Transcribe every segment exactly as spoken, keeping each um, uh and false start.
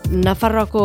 Nafarroako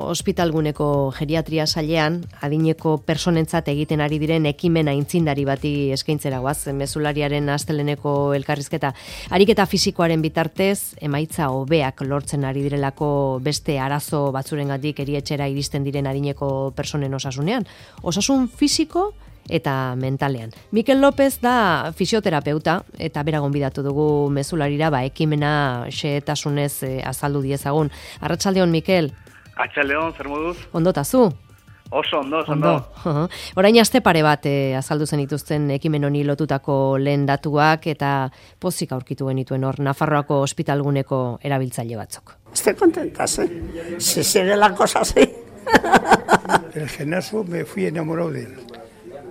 ospitalguneko geriatria sailean adineko personentzat egiten ari diren ekimen aintzindari bati eskaintzera goaz, mezulariaren asteleneko elkarrizketa. Ariketa fisikoaren bitartez, emaitza hobeak lortzen ari direlako beste arazo batzurengatik erietxera iristen diren adineko personen osasunean. Osasun fisiko eta mentalean. Mikel López da fisioterapeuta eta bera gonbidatu dugu mezularira ba ekimena xehetasunez e, azaldu diezagun. Arratsaldeon Mikel. Arratsaldeon, zer moduz? Ondo ta zu? Oso ondo, ondo. ondo. Orain aste pare bat e, azaldu zen dituzten ekimen honi lotutako lehen datuak eta pozik aurkitu genituen hor Nafarroako ospitalguneko erabiltzaile batzuk. Estoy contenta, ¿sí? Si sigue la cosa así. El gimnasio me fui enamorado de él,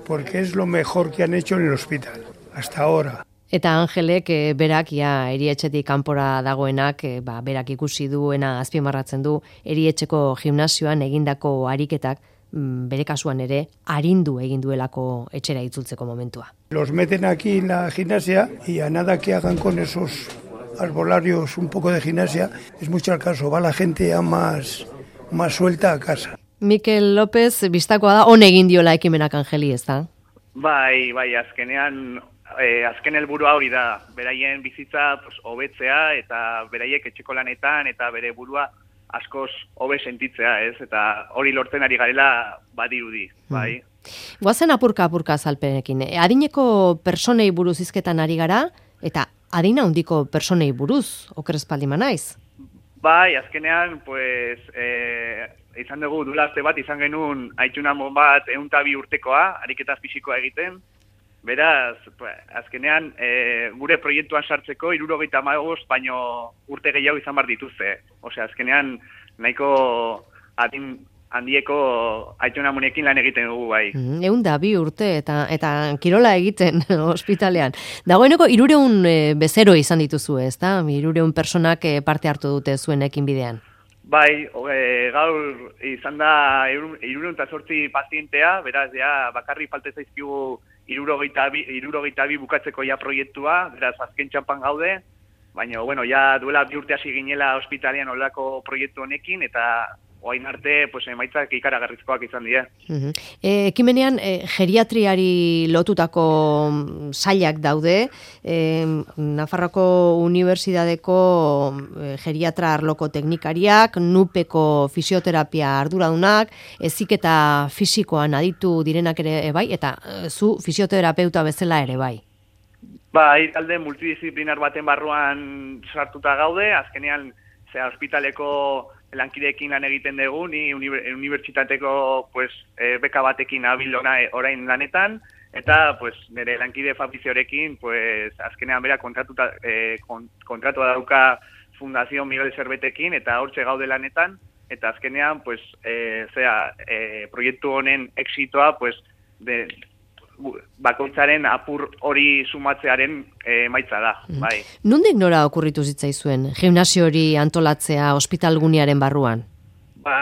porque es lo mejor que han hecho en el hospital, hasta ahora. Eta Angelek e, berak ja erietxetik kanpora dagoenak, e, ba, berak ikusi duena azpimarratzen du erietxeko gimnasioan egindako ariketak, m, bere kasuan ere, arindu egin duelako etxera itzultzeko momentua. Los meten aquí en la gimnasia y a nada que hagan con esos arbolarios un poco de gimnasia, es mucho al caso, va la gente ya más, más suelta a casa. Mikel López, bistakoa da, on egin diola ekimenak Angeli, ez da? Bai, bai, azkenean, eh, azken helburua hori da, beraien bizitza pues, hobetzea eta beraiek etxeko lanetan eta bere burua askoz hobe sentitzea, ez? Eta hori lortzen ari garela badirudi, bai. Mm. Goazen apurka-apurka azalpenekin. Adineko personei buruz hizketan ari gara, eta adina handiko personei buruz, okerrezpaldi manaiz? Bai, azkenean, pues, eh, izan dugu duela aste bat, izan genuen aitunamon bat ehun eta bi urtekoa, ariketa fisikoa egiten. Beraz, pues, azkenean, e, gure proiektuan sartzeko hirurogeita hamabost baino urte gehiago izan bar dituzte. Osea, azkenean, nahiko adin handieko aitunamonekin lan egiten dugu bai. Mm, ehun eta bi urte eta eta kirola egiten ospitalean. Dagoeneko hirureun e, bezero izan dituzu, ezta? hirureun personak e, parte hartu dute zuen ekinbidean. Bai, e, gaur izan da hirureun eta zortzi pazientea, beraz ja bakarri falte zaizkigu hirurogeita bi bukatzeko ja proiektua, beraz azken txampan gaude, baina bueno, ja duela bi urte hasi ginela ospitalean olako proiektu honekin eta orain arte pues emaitzak ikaragarrizkoak izan dira. Uh-huh. E, ekimenean e, geriatriari lotutako sailak daude, e, Nafarroako Unibertsitateko e, geriatra arloko teknikariak, nupeko fisioterapia arduradunak, heziketa fisikoan aditu direnak ere e, bai, eta e, zu fisioterapeuta bezala ere bai. Bai, talde multidisziplinar baten barruan sartuta gaude, azkenean zera ospitaleko lankideekin lan egiten dugu, ni unibertsitateko pues, e, beka batekin abil orain lanetan, eta pues, nire lankide Fabriziorekin pues, azkenean bera kontratuta, e, kontratua dauka Fundazio Miguel Zerbetekin, eta hortxe gaude lanetan, eta azkenean pues, e, zera, e, proiektu honen exitoa pues, de, bakoitzaren apur hori sumatzearen emaitza da, bai. Nondik nora okurritu zitzaizuen gimnasio hori antolatzea ospitalgunearen barruan? Ba,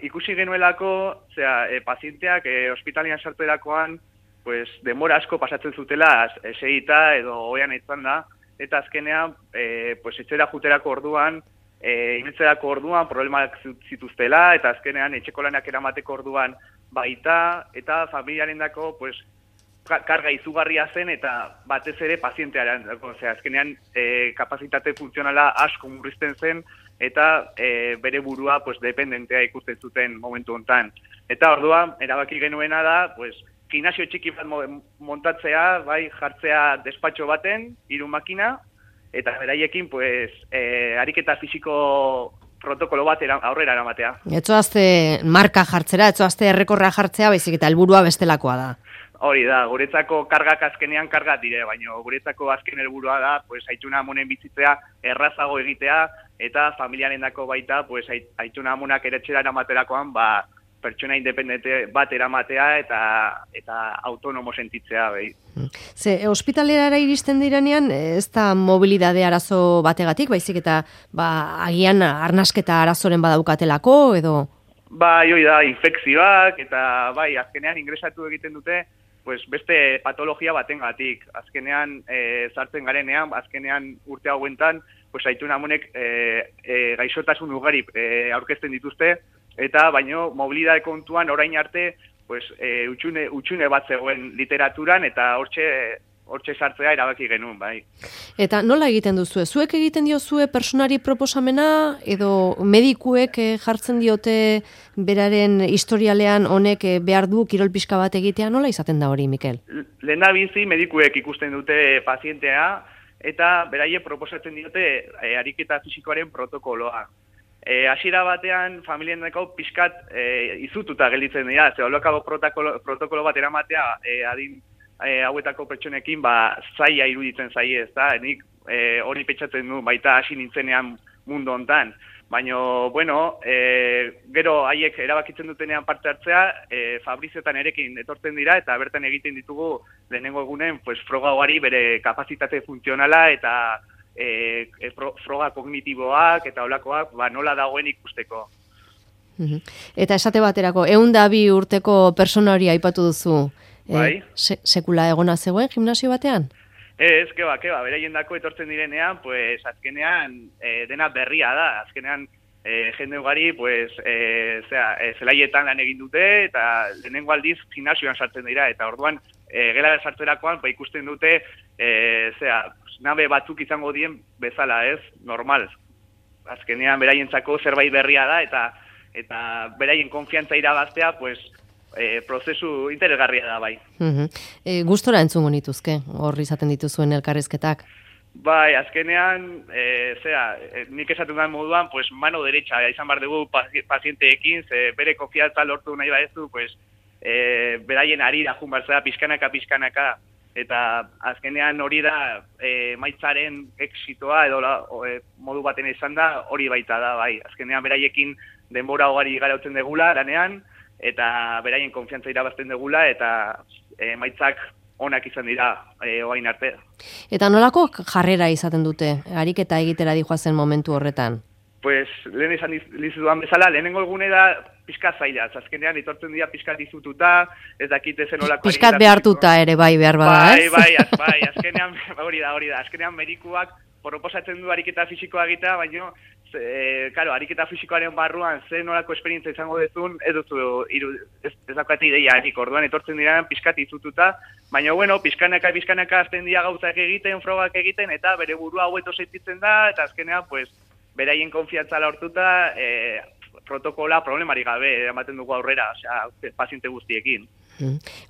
ikusi genuelako, zera, e, pazienteak e, ospitalian sartzerakoan, pues, demora asko pasatzen zutela, eseita edo oean etzan da, eta azkenean, e, pues, etxera juterako orduan, e, ibiltzerako orduan, problemak zituztela, eta azkenean etxeko lanak eramateko orduan baita, eta familiaren dako, pues, karga izugarria zen eta batez ere pazientearen, osea, azkenean e, kapazitate funtzionala asko murrizten zen eta e, bere burua pues, dependentea ikusten zuten momentu hontan. Eta orduan, erabaki genuena da, pues, gimnasio txiki bat montatzea, bai, jartzea despatxo baten, hiru makina, eta beraiekin, pues, e, ariketa fisiko protokolo bat aurrera eramatea. Etzoazte marka jartzera, etzoazte errekorra jartzea, baizik eta helburua bestelakoa da. Hori da, guretzako kargak azkenean kargat dire, baina guretzako azken helburua da, pues, aituna amonen bizitzea errazago egitea, eta familiaren dako baita, pues, aituna amonak eretxera eramaterakoan, ba, pertsona independente bat eramatea eta eta autonomo sentitzea. Behi. Ze, ospitalerara iristen direnean, ez da mobilidade arazo bategatik, baizik eta ba, agian arnasketa arazoren badaukatelako, edo? Bai, hori da, infekzioak, eta bai, azkenean ingresatu egiten dute, pues beste patologia batengatik. Azkenean e, sartzen garenean, azkenean urte hauentan, pues aitun amonek e, e, gaixotasun ugari e, aurkezten dituzte, eta baino mobilidade kontuan orain arte pues, e, utxune, utxune bat zegoen literaturan, eta hortxe hortxe sartzea erabaki genuen, bai. Eta nola egiten duzue? Zuek egiten diozue personari proposamena, edo medikuek eh, jartzen diote beraren historialean honek eh, behar du kirol pixka bat egitea? Nola izaten da hori, Mikel? Lehena bizi medikuek ikusten dute pazientea, eta beraie proposatzen diote e, ariketa fisikoaren protokoloa. E, hasiera batean, familieneko pixkat e, izututa gelditzen dira, ze holokabo protokolo, protokolo bat eramatea e, adin E, hauetako pertsonekin ba zaila iruditzen zaie, ezta? Nik e, hori pentsatzen du baita hasi nintzenean mundu hontan. Baina, bueno, e, gero haiek erabakitzen dutenean parte hartzea, e, Fabriziotan erekin etortzen dira eta bertan egiten ditugu lehenengo egunen pues, froga ugari bere kapazitate funtzionala eta e, e, pro, froga kognitiboak eta holakoak ba, nola dagoen ikusteko. Eta esate baterako, ehun eta bi urteko persona hori aipatu duzu. Bai. E, se, sekula egona zegoen gimnasio batean? Ez, keba, keba, beraien dako etortzen direnean, pues, azkenean e, dena berria da, azkenean e, jende ugari, pues, e, zera, e, zelaietan lan egin dute, eta lehenengo aldiz gimnasioan sartzen dira, eta orduan e, gela sartzerakoan, ba, ikusten dute, e, zera, nabe batzuk izango dien bezala, ez, normal. Azkenean beraientzako zerbait berria da, eta eta beraien konfiantza irabaztea, pues, E, prozesu interesgarria da, bai. Uh-huh. E, gustora entzungo nituzke, hor izaten dituzuen elkarrizketak? Bai, azkenean, e, zera, e, nik esaten den moduan, pues, mano derecha, izan behar dugu pazienteekin, ze bere konfiantza lortu nahi badezu, pues, e, beraien arira jun barzera, pizkanaka, pizkanaka, eta azkenean hori da, e, maitzaren exitoa, edo la, o, e, modu baten izan da, hori baita da, bai. Azkenean beraiek denbora ugari garautzen degula, lanean, eta beraien konfiantza irabazten degula, eta emaitzak onak izan dira e, oain arte. Eta nolako jarrera izaten dute, ariketa egitera dijoazen momentu horretan? Pues, lehen izan dizuduan bezala, lehenengo egune da pixka zaila, azkenean etortzen dira pixka dizututa, ez dakite zen olako... Pixkat behartuta ere bai behar bada, ez? Bai, bai, az, bai, azkenean, hori da, hori da, azkenean medikuak proposatzen du ariketa fisikoa egitea, baina E, karo, ariketa fisikoaren barruan zen nolako esperientzia izango dezun, ez duzu iru, ez, ez daukate ideia enik, orduan etortzen dira pixkat izututa, baina bueno, pixkanaka, pixkanaka azten dira gauzak egiten, frogak egiten, eta bere burua haueto sentitzen da, eta azkenean, pues, beraien konfiantza lortuta, e, protokola problemari gabe ematen dugu aurrera, osea, paziente guztiekin.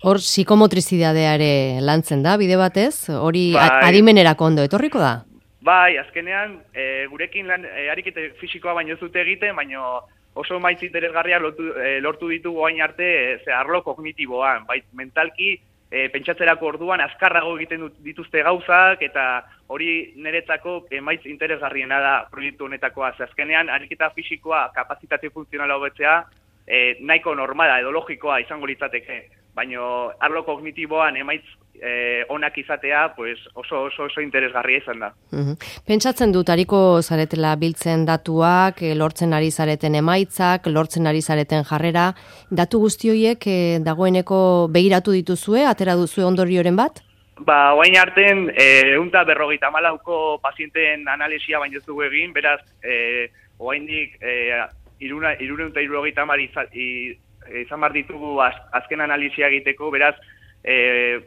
Hor, psikomotrizidadeare lantzen da, bide batez, hori bai. Adimenerako ondo etorriko da? Bai, azkenean, e, gurekin lan, e, arikete fisikoa baino ez dute egiten, baino oso maitz interesgarria lortu, e, lortu ditugu hain arte, e, ze arlo kognitiboan, bai, mentalki, e, pentsatzerako orduan azkarrago egiten dituzte gauzak, eta hori niretzako emaitz interesgarriena da proiektu honetakoa. Ze azkenean, ariketa fisikoa, kapazitate funtzionala hobetzea, e, nahiko normala edo logikoa izango litzateke, baino arlo kognitiboan emaitz Eh, onak izatea, pues oso oso oso interesgarria izan da. Uh-huh. Pentsatzen dut ariko zaretela biltzen datuak, e, lortzen ari zareten emaitzak, lortzen ari zareten jarrera, datu guzti horiek e, dagoeneko begiratu dituzue, atera duzue ondorioren bat? Ba, oain arten, eh, unta berrogeita malauko pazienteen analisia baino ez dugu egin, beraz, eh, oaindik eh, iruna, iruna eta irurogeita mar izan, izan bar ditugu az, azken analisia egiteko, beraz, eh,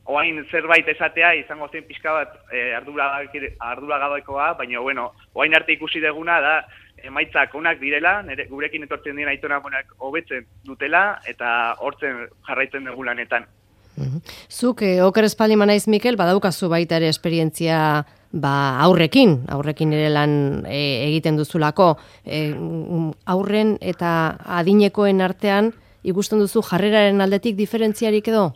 oain zerbait esatea izango zen pixka bat e, arduragabekoa, baina bueno, oain arte ikusi deguna da emaitzak onak direla, nire, gurekin etortzen dira aitona monak hobetzen dutela, eta hortzen jarraitzen dugu lanetan. Uh-huh. Zuk, eh, oker espaldi manaiz, Mikel, badaukazu baita ere esperientzia ba, aurrekin, aurrekin ere lan e, egiten duzulako, e, aurren eta adinekoen artean ikusten duzu jarreraren aldetik diferentziarik edo?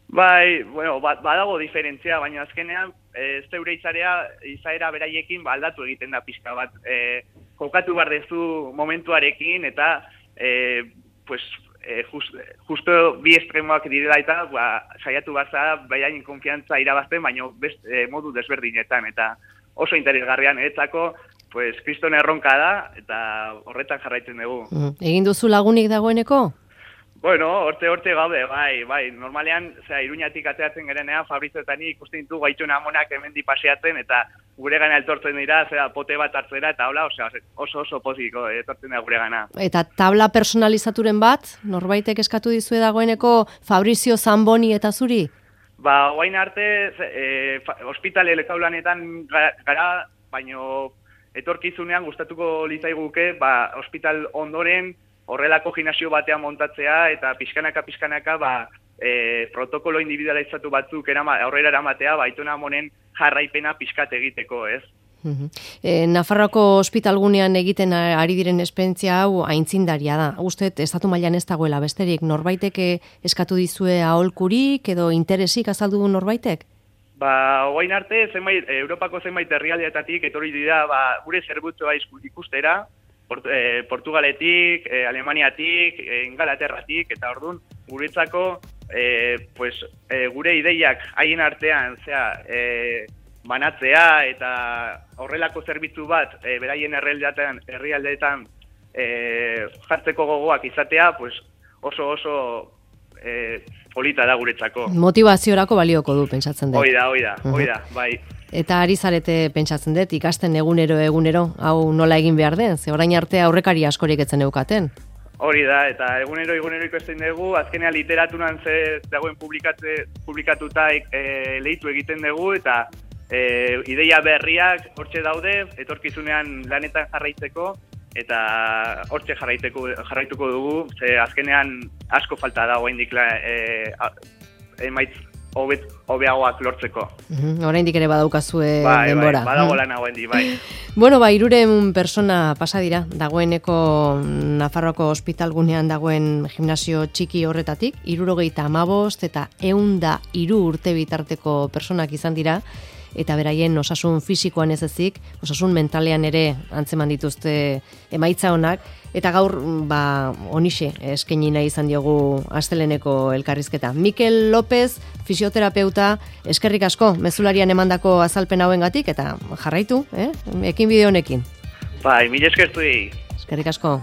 Bai, bueno, badago diferentzia, baina azkenean e, zeure izarea, izaera beraiekin ba, aldatu egiten da pixka bat. E, kokatu behar dezu momentuarekin eta e, pues, e, just, justo bi estremoak direla eta ba, saiatu baza beraien konfiantza irabazten, baina best, e, modu desberdinetan. Eta oso interesgarrian eretzako, pues, kriston erronka da eta horretan jarraitzen dugu. Mm. Egin duzu lagunik dagoeneko? Bueno, horte horte gaude, bai, bai, normalean, zera, Iruñatik ateratzen gerenean, Fabrizioetan ikusten ditu gaitxuna amonak hemendi paseatzen, eta gure gana eltortzen dira, zera, pote bat hartzera, eta hola, osea, oso oso poziko etortzen da gure gana. Eta tabla personalizaturen bat, norbaitek eskatu dizue dagoeneko Fabrizio Zamboni eta zuri? Ba, oain arte, e, ospitale lekaulanetan gara, baino etorkizunean gustatuko litzaiguke, ba, ospital ondoren, horrelako gimnasio batean montatzea eta pixkanaka pixkanaka ba, e, protokolo individualizatu batzuk erama, aurrera eramatea ba, Aitona Amonen jarraipena pixkat egiteko, ez? Uh-huh. E, Nafarroako ospitalgunean egiten ari diren esperientzia hau aintzindaria da. Uste, estatu mailan ez dagoela besterik, norbaitek eskatu dizue aholkurik edo interesik azaldu du norbaitek? Ba, oain arte, zenbait, Europako zenbait herrialdeetatik etorri dira ba, gure zerbutzua ikustera, Port, eh, Portugaletik, eh, Alemaniatik, eh, Ingalaterratik, eta orduan guretzako eh, pues, eh, gure ideiak haien artean zera, eh, banatzea eta horrelako zerbitzu bat eh, beraien herrialdeetan herrialdeetan eh, jartzeko gogoak izatea, pues, oso oso eh, polita da guretzako. Motivaziorako balioko du, pentsatzen dut. Oida, oida, oida, bai. Eta ari zarete pentsatzen dut, ikasten egunero egunero, hau nola egin behar den, ze orain arte aurrekari askorik etzen eukaten. Hori da, eta egunero egunero ikusten dugu, azkenean literaturan ze dagoen publikatuta e, lehitu egiten dugu, eta e, ideia berriak hortxe daude, etorkizunean lanetan jarraitzeko, eta hortxe jarraituko, jarraituko dugu, ze azkenean asko falta dago indik e, emaitz hobet hobeagoak lortzeko. Uh-huh. Oraindik ere badaukazue bai, denbora. Bai, badago lan hauen bai. Bueno, ba, hirurehun persona pasa dira, dagoeneko Nafarroako ospitalgunean dagoen gimnasio txiki horretatik, hirurogeita hamabost eta ehun eta hiru urte bitarteko personak izan dira, eta beraien osasun fisikoan ez ezik, osasun mentalean ere antzeman dituzte emaitza honak, eta gaur ba, onixe eskaini nahi izan diogu asteleheneko elkarrizketa. Mikel López, fisioterapeuta, eskerrik asko, mezularian emandako azalpen hauengatik, eta jarraitu, eh? Ekin bide honekin. Bai, mila eskertu di. Eskerrik asko.